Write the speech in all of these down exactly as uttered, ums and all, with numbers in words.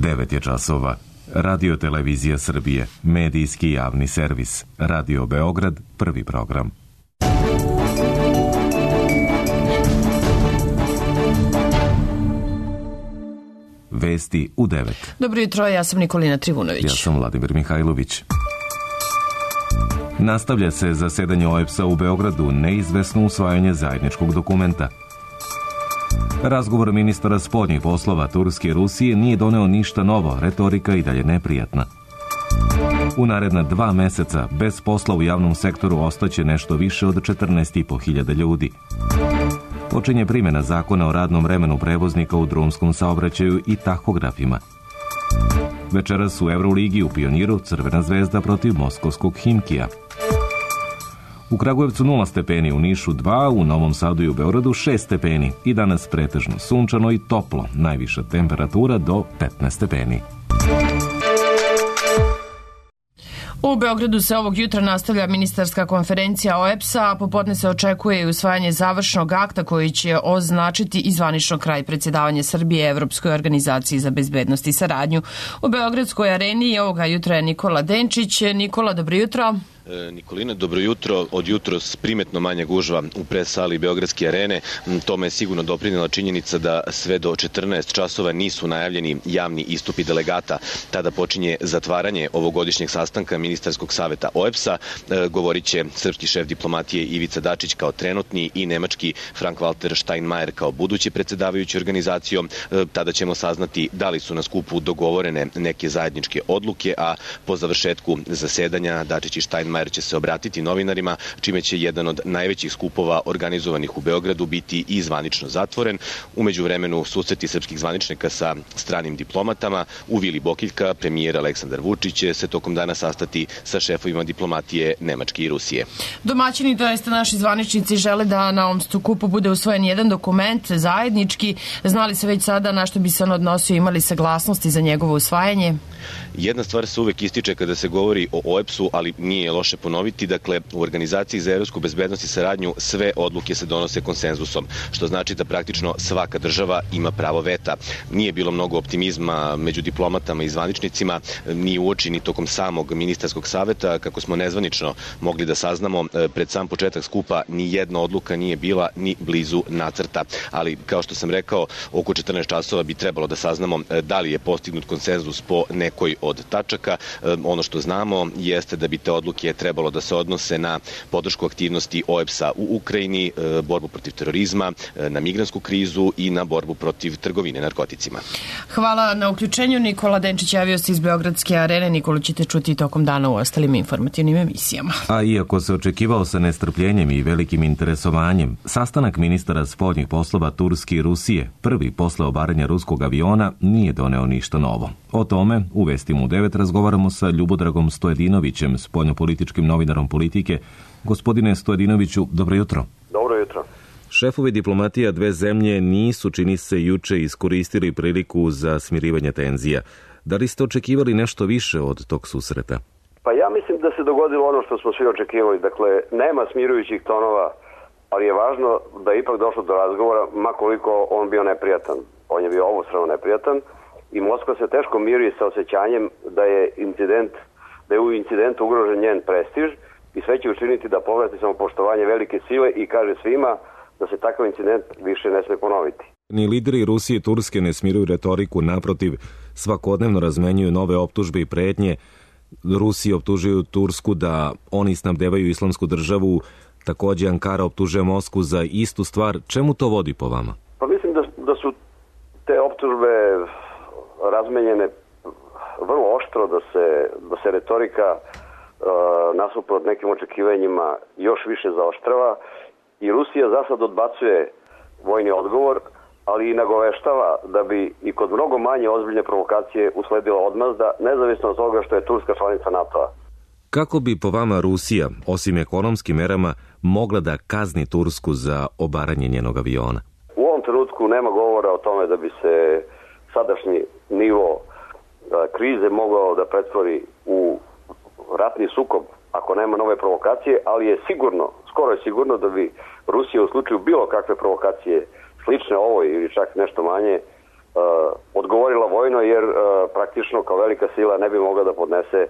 devet je časova. Radio Televizija Srbije, medijski javni servis. Radio Beograd, prvi program. Vesti u devet. Dobro jutro, ja sam Nikolina Trivunović. Ja sam Vladimir Mihajlović. Nastavlja se zasedanje O E B S-a u Beogradu, neizvesno usvajanje zajedničkog dokumenta. Razgovor ministara spoljnih poslova Turske i Rusije nije doneo ništa novo, retorika i dalje neprijatna. U naredna dva meseca bez posla u javnom sektoru ostaće nešto više od četrnaest i po hiljada ljudi. Počinje primjena zakona o radnom vremenu prevoznika u drumskom saobraćaju i tahografima. Večeras u Euroligi u Pioniru Crvena zvezda protiv moskovskog Himkija. U Kragujevcu nula stepeni, u Nišu dva, u Novom Sadu i u Beogradu šest stepeni i danas pretežno sunčano i toplo, najviša temperatura do petnaest stepeni. U Beogradu se ovog jutra nastavlja ministarska konferencija O E B S-a, a popodne se očekuje i usvajanje završnog akta koji će označiti i zvanično kraj predsjedavanja Srbije Evropskoj organizaciji za bezbednost i saradnju. U Beogradskoj areni ovoga jutra je Nikola Denčić. Nikola, dobro jutro. Nikolina, dobro jutro. Od jutros primetno manja gužva u pres sali Beogradske arene. Tome je sigurno doprinela činjenica da sve do četrnaest časova nisu najavljeni javni istupi delegata. Tada počinje zatvaranje ovogodišnjeg sastanka ministarskog saveta O E B S-a. Govorit će srpski šef diplomatije Ivica Dačić kao trenutni i nemački Frank-Walter Steinmeier kao budući predsjedavajući organizacijom. Tada ćemo saznati da li su na skupu dogovorene neke zajedničke odluke, a po završetku zasedanja Dačić i Steinmeier će se obratiti novinarima, čime će jedan od najvećih skupova organizovanih u Beogradu biti i zvanično zatvoren. Umeđu vremenu susreti srpskih zvaničnika sa stranim diplomatama. U Vili Bokiljka premijer Aleksandar Vučić će se tokom dana sastati sa šefovima diplomatije Nemačke i Rusije. Domaćini, to jeste naši zvaničnici, žele da na ovom skupu bude usvojen jedan dokument zajednički. Znali se već sada na što bi se on odnosio, imali saglasnosti za njegovo usvajanje? Jedna stvar se uvek ističe kada se govori o O E B S-u, ali nije loše ponoviti. Dakle, u Organizaciji za evropsku bezbednost i saradnju sve odluke se donose konsenzusom, što znači da praktično svaka država ima pravo veta. Nije bilo mnogo optimizma među diplomatama i zvaničnicima, ni uoči ni tokom samog ministarskog saveta. Kako smo nezvanično mogli da saznamo, pred sam početak skupa ni jedna odluka nije bila ni blizu nacrta. Ali, kao što sam rekao, oko četrnaest časova bi trebalo da saznamo da li je postignut konsenzus po nekoj od tačaka. Ono što znamo jeste da bi te odluke trebalo da se odnose na podršku aktivnosti O E B S-a u Ukrajini, borbu protiv terorizma, na migrantsku krizu i na borbu protiv trgovine narkoticima. Hvala na uključenju. Nikola Denčić javio se iz Beogradske arene. Nikolu ćete čuti tokom dana u ostalim informativnim emisijama. A iako se očekivao sa nestrpljenjem i velikim interesovanjem, sastanak ministara spoljnih poslova Turske i Rusije, prvi posle obaranja ruskog aviona, nije doneo ništa novo. O tome u Vestima u devet razgovaramo sa Ljubodragom Stojedinovićem, spoljnopolitičkim novinarom Politike. Gospodine Stojedinoviću, dobro jutro. Dobro jutro. Šefovi diplomatija dve zemlje nisu, čini se, juče iskoristili priliku za smirivanje tenzija. Da li ste očekivali nešto više od tog susreta? Pa ja mislim da se dogodilo ono što smo svi očekivali. Dakle, nema smirujućih tonova, ali je važno da je ipak došlo do razgovora, ma koliko on bio neprijatan. On je bio obostrano neprijatan i Moskva se teško miri sa osjećanjem da je incident, da je u incidentu ugrožen njen prestiž i sve će učiniti da povrati samopoštovanje velike sile i kaže svima da se takav incident više ne sme ponoviti. Ni lideri Rusije i Turske ne smiruju retoriku, naprotiv, svakodnevno razmenjuju nove optužbe i pretnje. Rusiji optužuju Tursku da oni snabdevaju islamsku državu, takođe Ankara optužuje Moskvu za istu stvar. Čemu to vodi po vama? Pa mislim da, da su te optužbe razmenjene vrlo oštro, da se, da se retorika uh, nasuprot nekim očekivanjima još više zaoštrava i Rusija za sad odbacuje vojni odgovor, ali i nagoveštava da bi i kod mnogo manje ozbiljne provokacije usledila odmazda, nezavisno od toga što je Turska članica NATO-a. Kako bi po vama Rusija, osim ekonomskim merama, mogla da kazni Tursku za obaranje njenog aviona? U ovom trenutku nema govora o tome da bi se sadašnji nivo krize mogao da pretvori u ratni sukob ako nema nove provokacije, ali je sigurno, skoro je sigurno da bi Rusija u slučaju bilo kakve provokacije slične ovoj ili čak nešto manje odgovorila vojno, jer praktično kao velika sila ne bi mogla da podnese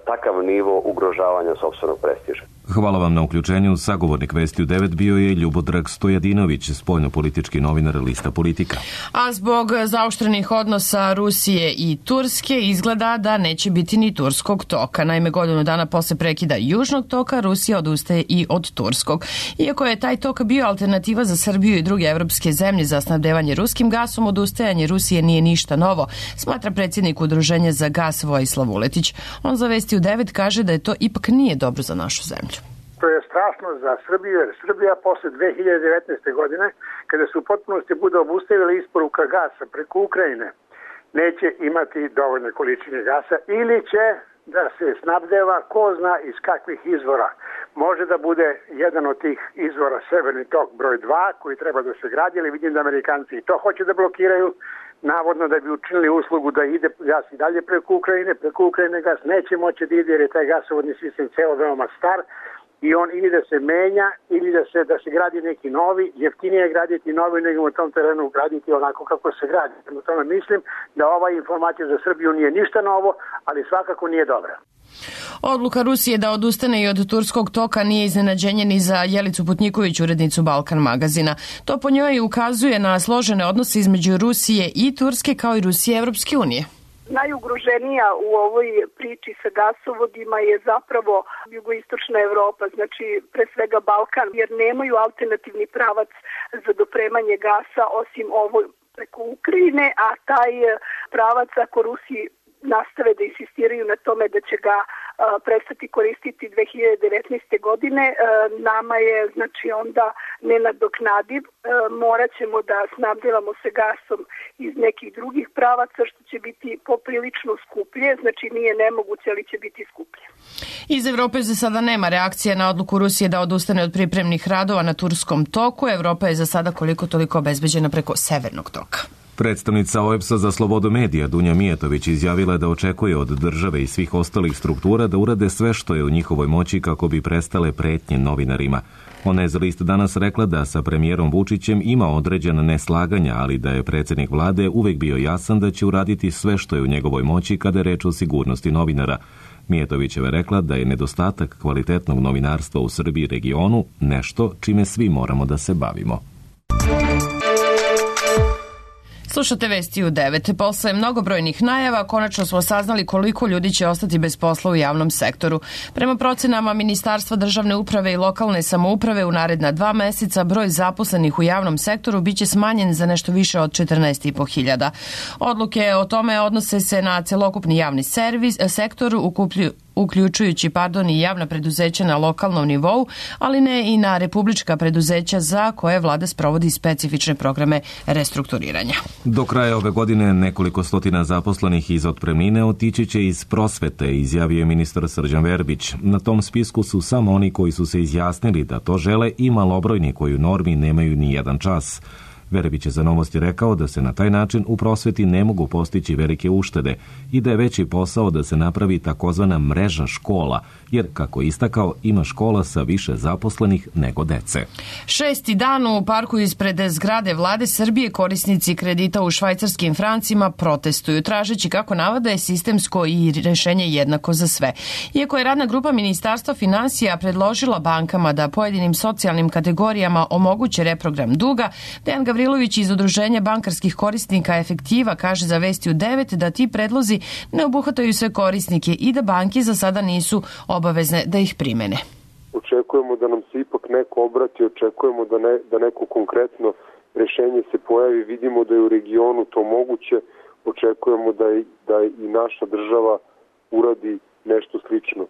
takav nivo ugrožavanja sopstvenog prestiža. Hvala vam na uključenju. Sagovornik Vesti u devet bio je Ljubodrag Stojadinović, spoljnopolitički novinar lista Politika. A zbog zaoštrenih odnosa Rusije i Turske izgleda da neće biti ni turskog toka. Naime, godinu dana posle prekida južnog toka Rusija odustaje i od turskog. Iako je taj tok bio alternativa za Srbiju i druge evropske zemlje za snabdevanje ruskim gasom, odustajanje Rusije nije ništa novo, smatra predsjednik Udruženja za gas Vojislav Vuletić. On za Vesti u devet kaže da je to ipak nije dobro za našu zemlju. To je strašno za Srbiju, jer Srbija posle dve hiljade devetnaeste. godine, kada se u potpunosti bude obustavila isporuka gasa preko Ukrajine, neće imati dovoljne količine gasa ili će da se snabdeva ko zna iz kakvih izvora. Može da bude jedan od tih izvora Severni tok broj dva koji treba da se gradi, ali vidim da Amerikanci i to hoće da blokiraju, navodno da bi učinili uslugu da ide gas i dalje preko Ukrajine. Preko Ukrajine gas neće moći da ide jer je taj gasovodni sistem ceo veoma star i on ili da se menja ili da se da se gradi neki novi, jeftinije je graditi novi nego u tom terenu graditi onako kako se gradi. U tome mislim da ova informacija za Srbiju nije ništa novo, ali svakako nije dobra. Odluka Rusije da odustane i od turskog toka nije iznenađenje ni za Jelicu Putniković, urednicu Balkan magazina. To po njoj ukazuje na složene odnose između Rusije i Turske kao i Rusije i Evropske unije. Najugroženija u ovoj priči sa gasovodima je zapravo jugoistočna Evropa, znači pre svega Balkan, jer nemaju alternativni pravac za dopremanje gasa osim ovo preko Ukrajine, a taj pravac ako Rusi nastave da insistiraju na tome da će ga a, prestati koristiti dve hiljade devetnaeste. godine, a, nama je znači onda nenadoknadiv. A, morat ćemo da snabdevamo se gasom iz nekih drugih pravaca, što će biti poprilično skuplje, znači nije nemoguće, ali će biti skuplje. Iz Evrope za sada nema reakcije na odluku Rusije da odustane od pripremnih radova na turskom toku. Evropa je za sada koliko toliko obezbeđena preko severnog toka. Predstavnica O E B S-a za slobodu medija Dunja Mijatović izjavila da očekuje od države i svih ostalih struktura da urade sve što je u njihovoj moći kako bi prestale pretnje novinarima. Ona je za List danas rekla da sa premijerom Vučićem ima određena neslaganja, ali da je predsjednik vlade uvek bio jasan da će uraditi sve što je u njegovoj moći kada je reč o sigurnosti novinara. Mijatovićeva rekla da je nedostatak kvalitetnog novinarstva u Srbiji i regionu nešto čime svi moramo da se bavimo. Slušate Vesti u devet. Posle mnogobrojnih najava konačno smo saznali koliko ljudi će ostati bez posla u javnom sektoru. Prema procenama Ministarstva državne uprave i lokalne samouprave u naredna dva meseca broj zaposlenih u javnom sektoru biće smanjen za nešto više od četrnaest i po hiljada. Odluke o tome odnose se na celokupni javni servis, sektor ukuplju uključujući pardon, i javna preduzeća na lokalnom nivou, ali ne i na republička preduzeća za koje vlada sprovodi specifične programe restrukturiranja. Do kraja ove godine nekoliko stotina zaposlenih iz otpremnine otići će iz prosvete, izjavio je ministar Srđan Verbić. Na tom spisku su samo oni koji su se izjasnili da to žele i malobrojni koji u normi nemaju ni jedan čas. Verbić je za Novosti rekao da se na taj način u prosveti ne mogu postići velike uštede i da je veći posao da se napravi takozvana mreža škola, jer, kako istakao, ima škola sa više zaposlenih nego dece. Šesti dan u parku ispred zgrade vlade Srbije korisnici kredita u švajcarskim francima protestuju, tražeći, kako navode, sistemsko i rešenje jednako za sve. Iako je radna grupa Ministarstva finansija predložila bankama da pojedinim socijalnim kategorijama omoguće reprogram duga, Dejan Gavrilović iz Udruženja bankarskih korisnika Efektiva kaže za Vesti u devet da ti predlozi ne obuhvataju sve korisnike i da banke za sada nisu obavezne da ih primene. Očekujemo da nam se ipak neko obrati, očekujemo da, ne, da neko konkretno rešenje se pojavi, vidimo da je u regionu to moguće, očekujemo da, i, da i naša država uradi nešto slično.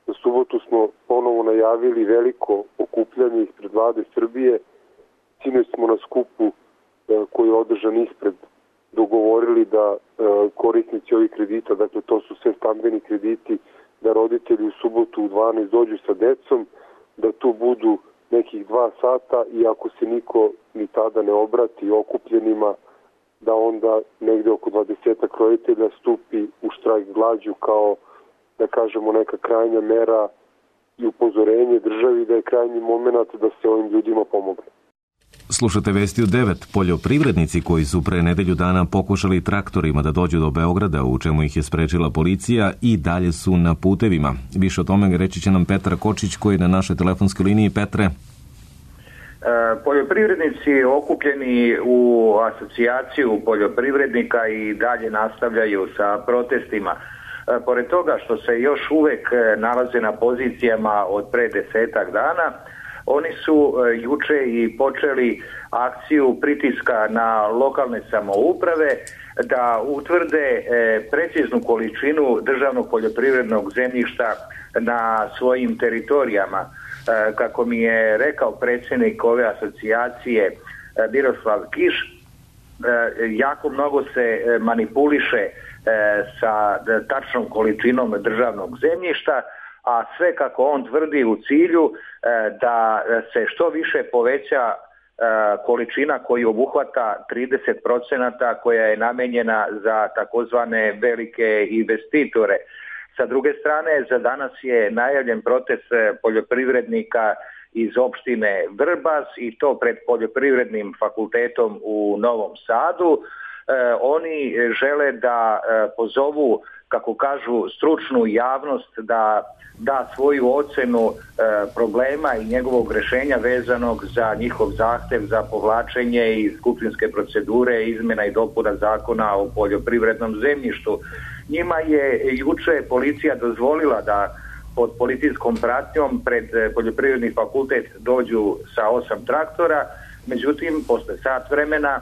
Na subotu smo ponovo najavili veliko okupljanje ispred vlade Srbije. Sinoć smo na skupu e, koji je održan ispred dogovorili da e, korisnici ovih kredita, dakle to su sve stambeni krediti, da roditelji u subotu u dvanaest dođu sa decom, da tu budu nekih dva sata i ako se niko ni tada ne obrati okupljenima, da onda negde oko dvadesetak roditelja stupi u štrajk glađu kao, da kažemo, neka krajnja mera i upozorenje državi da je krajnji moment da se ovim ljudima pomogne. Slušate vesti u devet. Poljoprivrednici koji su pre nedelju dana pokušali traktorima da dođu do Beograda, u čemu ih je sprečila policija, i dalje su na putevima. Više o tome reći će nam Petar Kočić, koji je na našoj telefonskoj liniji. Petre. Poljoprivrednici okupljeni u asocijaciju poljoprivrednika i dalje nastavljaju sa protestima. Pored toga što se još uvek nalaze na pozicijama od pre desetak dana, oni su juče i počeli akciju pritiska na lokalne samouprave da utvrde preciznu količinu državnog poljoprivrednog zemljišta na svojim teritorijama. Kako mi je rekao predsjednik ove asocijacije Miroslav Kiš, jako mnogo se manipuliše sa tačnom količinom državnog zemljišta, a sve, kako on tvrdi, u cilju da se što više poveća količina koju obuhvata trideset procenata koja je namenjena za takozvane velike investitore. Sa druge strane, za danas je najavljen protest poljoprivrednika iz opštine Vrbas i to pred Poljoprivrednim fakultetom u Novom Sadu. E, oni žele da e, pozovu, kako kažu, stručnu javnost da da svoju ocenu e, problema i njegovog rešenja vezanog za njihov zahtev za povlačenje iz skupštinske procedure izmena i dopuna zakona o poljoprivrednom zemljištu. Njima je juče policija dozvolila da pod policijskom pratnjom pred Poljoprivredni fakultet dođu sa osam traktora, međutim, posle sat vremena e,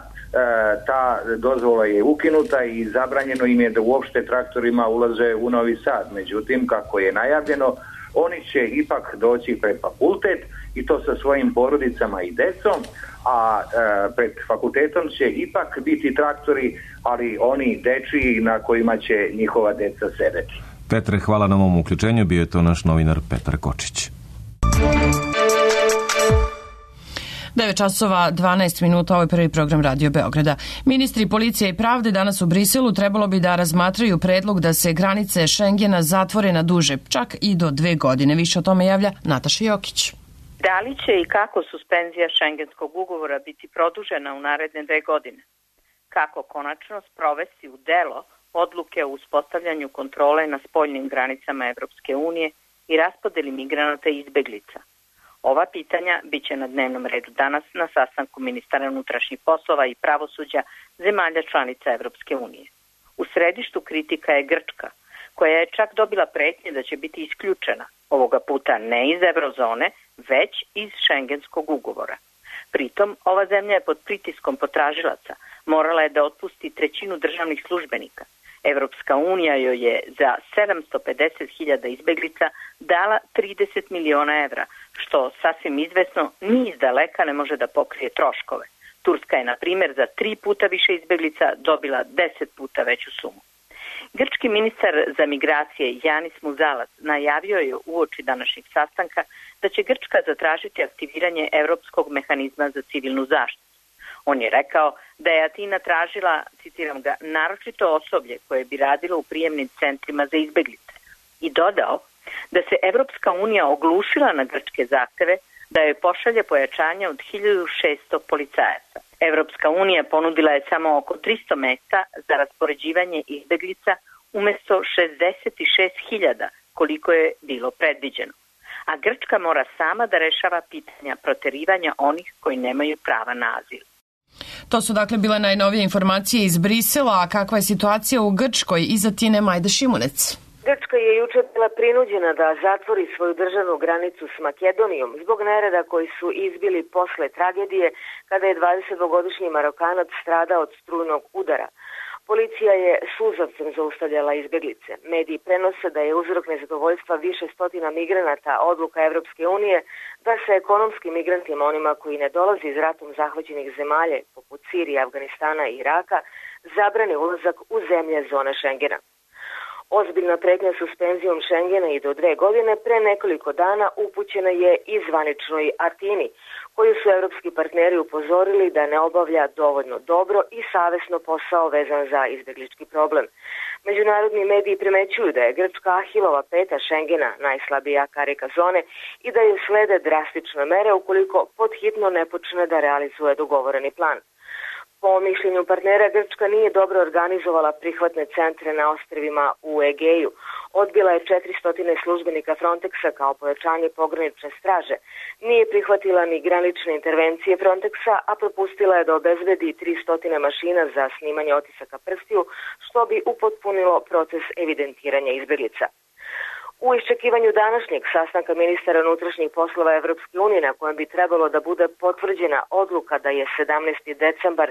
ta dozvola je ukinuta i zabranjeno im je da uopšte traktorima ulaze u Novi Sad. Međutim, kako je najavljeno, oni će ipak doći pred fakultet i to sa svojim porodicama i decom, a e, pred fakultetom će ipak biti traktori, ali oni dečiji na kojima će njihova deca sedeti. Petre, hvala na ovom uključenju. Bio je to naš novinar Petar Kočić. devet časova dvanaest minuta, ovo je prvi program Radio Beograda. Ministri policije i pravde danas u Briselu trebalo bi da razmatraju predlog da se granice Šengena zatvore na duže, čak i do dve godine. Više o tome javlja Nataša Jokić. Da li će i kako suspenzija šengenskog ugovora biti produžena u naredne dve godine? Kako konačno sprovesti u delo odluke o uspostavljanju kontrole na spoljnim granicama Evropske unije i raspodeli migranata i izbeglica? Ova pitanja bit će na dnevnom redu danas na sastanku ministara unutrašnjih poslova i pravosuđa zemalja članica Evropske unije. U središtu kritika je Grčka, koja je čak dobila pretnje da će biti isključena, ovoga puta ne iz eurozone, već iz šengenskog ugovora. Pritom, ova zemlja je pod pritiskom potražilaca, morala je da otpusti trećinu državnih službenika. Evropska unija joj je za sedamsto pedeset hiljada izbeglica dala trideset miliona evra, što sasvim izvesno ni iz daleka ne može da pokrije troškove. Turska je, na primjer, za tri puta više izbeglica dobila deset puta veću sumu. Grčki ministar za migracije Janis Muzalac najavio je uoči današnjeg sastanka da će Grčka zatražiti aktiviranje Evropskog mehanizma za civilnu zaštitu. On je rekao da je Atina tražila, citiram ga, naročito osoblje koje bi radilo u prijemnim centrima za izbeglice i dodao da se Evropska unija oglušila na grčke zahteve da joj pošalje pojačanje od hiljadu šesto policajaca. Evropska unija ponudila je samo oko tristo mesta za raspoređivanje izbeglica umesto šezdeset šest hiljada koliko je bilo predviđeno. A Grčka mora sama da rešava pitanja proterivanja onih koji nemaju prava na azil. To su dakle bile najnovije informacije iz Brisela, a kakva je situacija u Grčkoj? Iza Tine Majda Šimunec. Grčka je juče bila prinuđena da zatvori svoju državnu granicu s Makedonijom zbog nereda koji su izbili posle tragedije kada je dvadesetdvogodišnji Marokanac stradao od strujnog udara. Policija je suzavcem zaustavljala izbeglice. Mediji prenose da je uzrok nezadovoljstva više stotina migranata odluka Evropske unije da se ekonomskim migrantima, onima koji ne dolaze iz ratom zahvaćenih zemalja poput Sirije, Afganistana i Iraka, zabrane ulazak u zemlje zone Šengena. Ozbiljna pretnja suspenzijom Šengena i do dve godine pre nekoliko dana upućena je i zvaničnoj Atini, koju su evropski partneri upozorili da ne obavlja dovoljno dobro i savesno posao vezan za izbeglički problem. Međunarodni mediji primećuju da je Grčka Ahilova peta Šengena, najslabija karika zone, i da je slede drastične mere ukoliko podhitno ne počne da realizuje dogovoreni plan. Po mišljenju partnera, Grčka nije dobro organizovala prihvatne centre na ostrvima u Egeju. Odbila je četiristo službenika Frontexa kao pojačanje pogranične straže. Nije prihvatila ni granične intervencije Frontexa, a propustila je da obezbedi tristo mašina za snimanje otisaka prstiju, što bi upotpunilo proces evidentiranja izbjeglica. U iščekivanju današnjeg sastanka ministara unutrašnjih poslova Evropske unije, na kojem bi trebalo da bude potvrđena odluka da je sedamnaesti decembar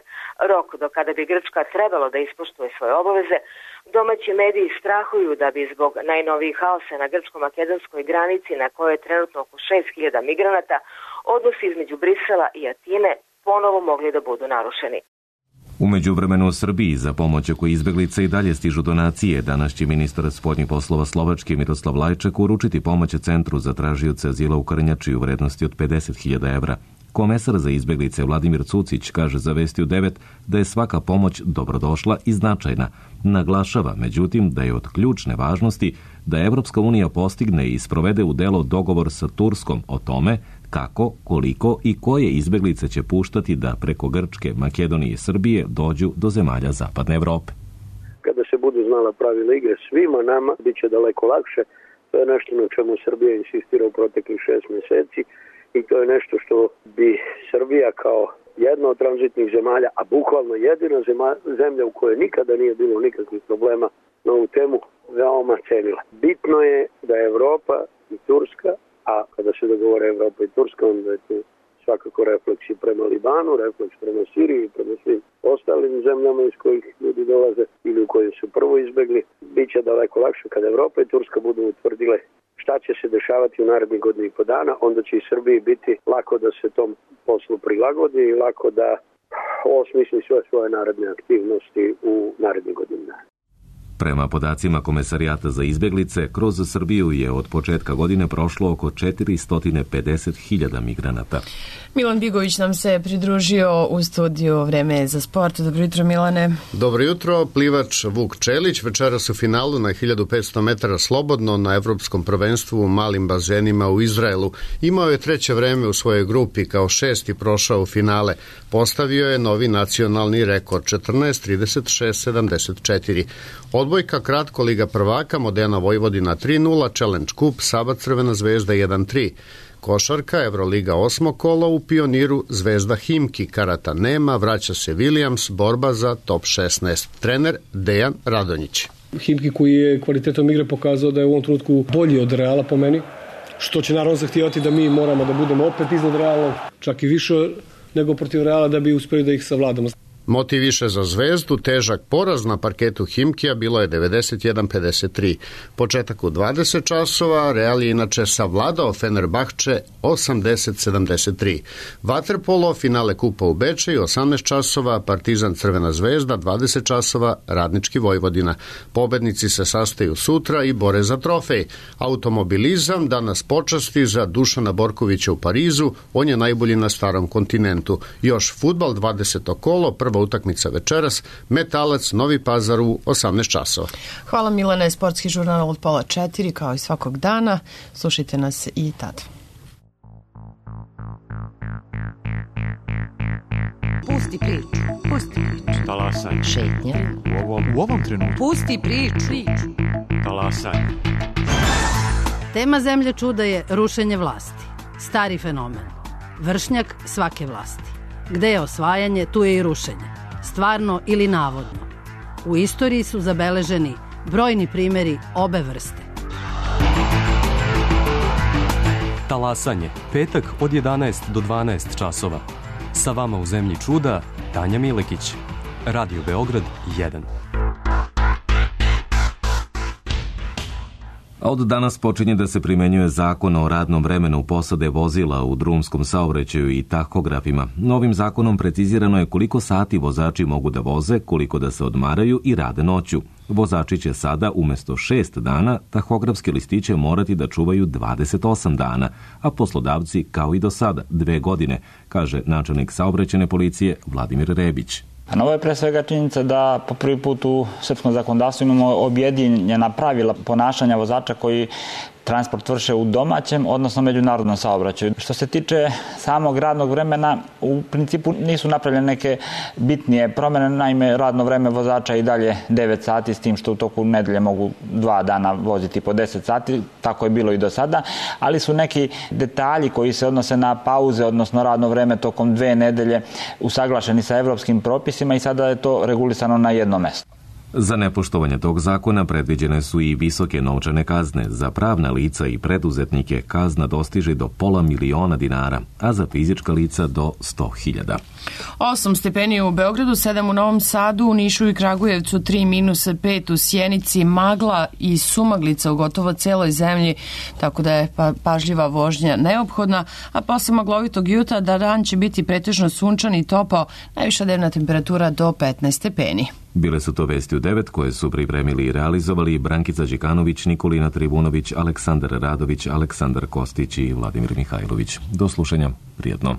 rok do kada bi Grčka trebalo da ispoštuje svoje obaveze, domaći mediji strahuju da bi zbog najnovijih haosa na grčko-makedonskoj granici, na kojoj je trenutno oko šest hiljada migranata, odnosi između Brisela i Atine ponovo mogli da budu narušeni. U međuvremenu u Srbiji za pomoć oko izbeglica i dalje stižu donacije. Danas će ministar spoljnih poslova Slovačke Miroslav Lajčak uručiti pomoć Centru za tražioce azila u Krnjači u vrednosti od pedeset hiljada evra. Komesar za izbeglice Vladimir Cucić kaže za Vesti u devet da je svaka pomoć dobrodošla i značajna. Naglašava, međutim, da je od ključne važnosti da Evropska unija postigne i sprovede u delo dogovor sa Turskom o tome kako, koliko i koje izbeglice će puštati da preko Grčke, Makedonije i Srbije dođu do zemalja Zapadne Evrope. Kada se budu znala pravila igre svima nama, bit će daleko lakše. To je nešto na čemu Srbija insistira u proteklih šest mjeseci i to je nešto što bi Srbija kao jedna od tranzitnih zemalja, a bukvalno jedina zemlja u kojoj nikada nije bilo nikakvih problema na ovu temu, veoma cenila. Bitno je da je Evropa i Turska, a kada se dogovore Evropa i Turska, onda je tu svakako refleks i prema Libanu, refleks prema Siriji i prema svim ostalim zemljama iz kojih ljudi dolaze ili u kojim su prvo izbegli. Biće daleko lakše kada Evropa i Turska budu utvrdile šta će se dešavati u narednih godinu i po dana, onda će i Srbiji biti lako da se tom poslu prilagodi i lako da osmisli sve svoje naredne aktivnosti u narednih godinu dana. Prema podacima Komesarijata za izbjeglice, kroz Srbiju je od početka godine prošlo oko četiristo pedeset hiljada migranata. Milan Bigović nam se pridružio u studiju Vreme za sport. Dobro jutro, Milane. Dobro jutro. Plivač Vuk Čelić večeras u finalu na hiljadu petsto metara slobodno na Evropskom prvenstvu u malim bazenima u Izraelu. Imao je treće vreme u svojoj grupi, kao šesti prošao u finale. Postavio je novi nacionalni rekord četrnaest trideset šest sedamdeset četiri. Odbojka kratko Liga prvaka, Modena Vojvodina tri nula, Challenge Cup, Saba Crvena zvezda jedan tri. Košarka, Evroliga osmo kolo, u Pioniru Zvezda Himki, karata nema, vraća se Williams, borba za top šesnaest. Trener Dejan Radonjić. Himki koji je kvalitetom igre pokazao da je u ovom trenutku bolji od Reala po meni, što će naravno zahtijevati da mi moramo da budemo opet iznad Reala, čak i više nego protiv Reala da bi uspeli da ih savladamo. Motiv više za Zvezdu, težak poraz na parketu Himkija bilo je devedeset jedan pedeset tri. Početak u dvadeset časova, Real je inače savladao Fenerbahče osamdeset sedamdeset tri. Vaterpolo, finale kupa u Bečeju, osamnaest časova, Partizan Crvena zvezda, dvadeset časova, Radnički Vojvodina. Pobednici se sastaju sutra i bore za trofej. Automobilizam danas počasti za Dušana Borkovića u Parizu, on je najbolji na starom kontinentu. Još fudbal, dvadeseto kolo, prva utakmica večeras, Metalac Novi Pazar u osamnaest časova. Hvala Milane, sportski žurnal od pola četiri, kao i svakog dana. Slušajte nas i tada. Pusti priču, pusti priču. Talasaj. Šetnja. U ovom, u ovom trenutku. Pusti priču. Talasaj. Tema Zemlje čuda je rušenje vlasti. Stari fenomen. Vršnjak svake vlasti. Gde je osvajanje, tu je i rušenje. Stvarno ili navodno. U istoriji su zabeleženi brojni primjeri obe vrste. Talasanje, petak od jedanaest do dvanaest časova. Sa vama u Zemlji čuda, Tanja Milekić. Radio Beograd jedan. A od danas počinje da se primenjuje zakon o radnom vremenu posade vozila u drumskom saobraćaju i tahografima. Novim zakonom precizirano je koliko sati vozači mogu da voze, koliko da se odmaraju i rade noću. Vozači će sada umjesto šest dana tahografske listiće morati da čuvaju dvadeset osam dana, a poslodavci kao i do sada dve godine, kaže načelnik saobraćajne policije Vladimir Rebić. A novo je pre svega činjenica da po prvi put u srpskom zakonodavstvu imamo objedinjena pravila ponašanja vozača koji transport vrše u domaćem, odnosno međunarodnom saobraćaju. Što se tiče samog radnog vremena, u principu nisu napravljene neke bitnije promjene, naime radno vreme vozača i dalje devet sati, s tim što u toku nedelje mogu dva dana voziti po deset sati, tako je bilo i do sada, ali su neki detalji koji se odnose na pauze, odnosno radno vreme tokom dve nedelje usaglašeni sa evropskim propisima i sada je to regulisano na jedno mesto. Za nepoštovanje tog zakona predviđene su i visoke novčane kazne. Za pravna lica i preduzetnike kazna dostiže do pola miliona dinara, a za fizička lica do sto hiljada. Osam stepeni u Beogradu, sedam u Novom Sadu, u Nišu i Kragujevcu, tri minus pet u Sjenici, magla i sumaglica u gotovo celoj zemlji, tako da je pa, pažljiva vožnja neophodna, a posle maglovitog jutra da dan će biti pretežno sunčan i topao, najviša dnevna temperatura do petnaest stepeni. Bile su to vesti u devet koje su pripremili i realizovali Brankica Đikanović, Nikolina Trivunović, Aleksandar Radović, Aleksandar Kostić i Vladimir Mihajlović. Do slušanja, prijetno.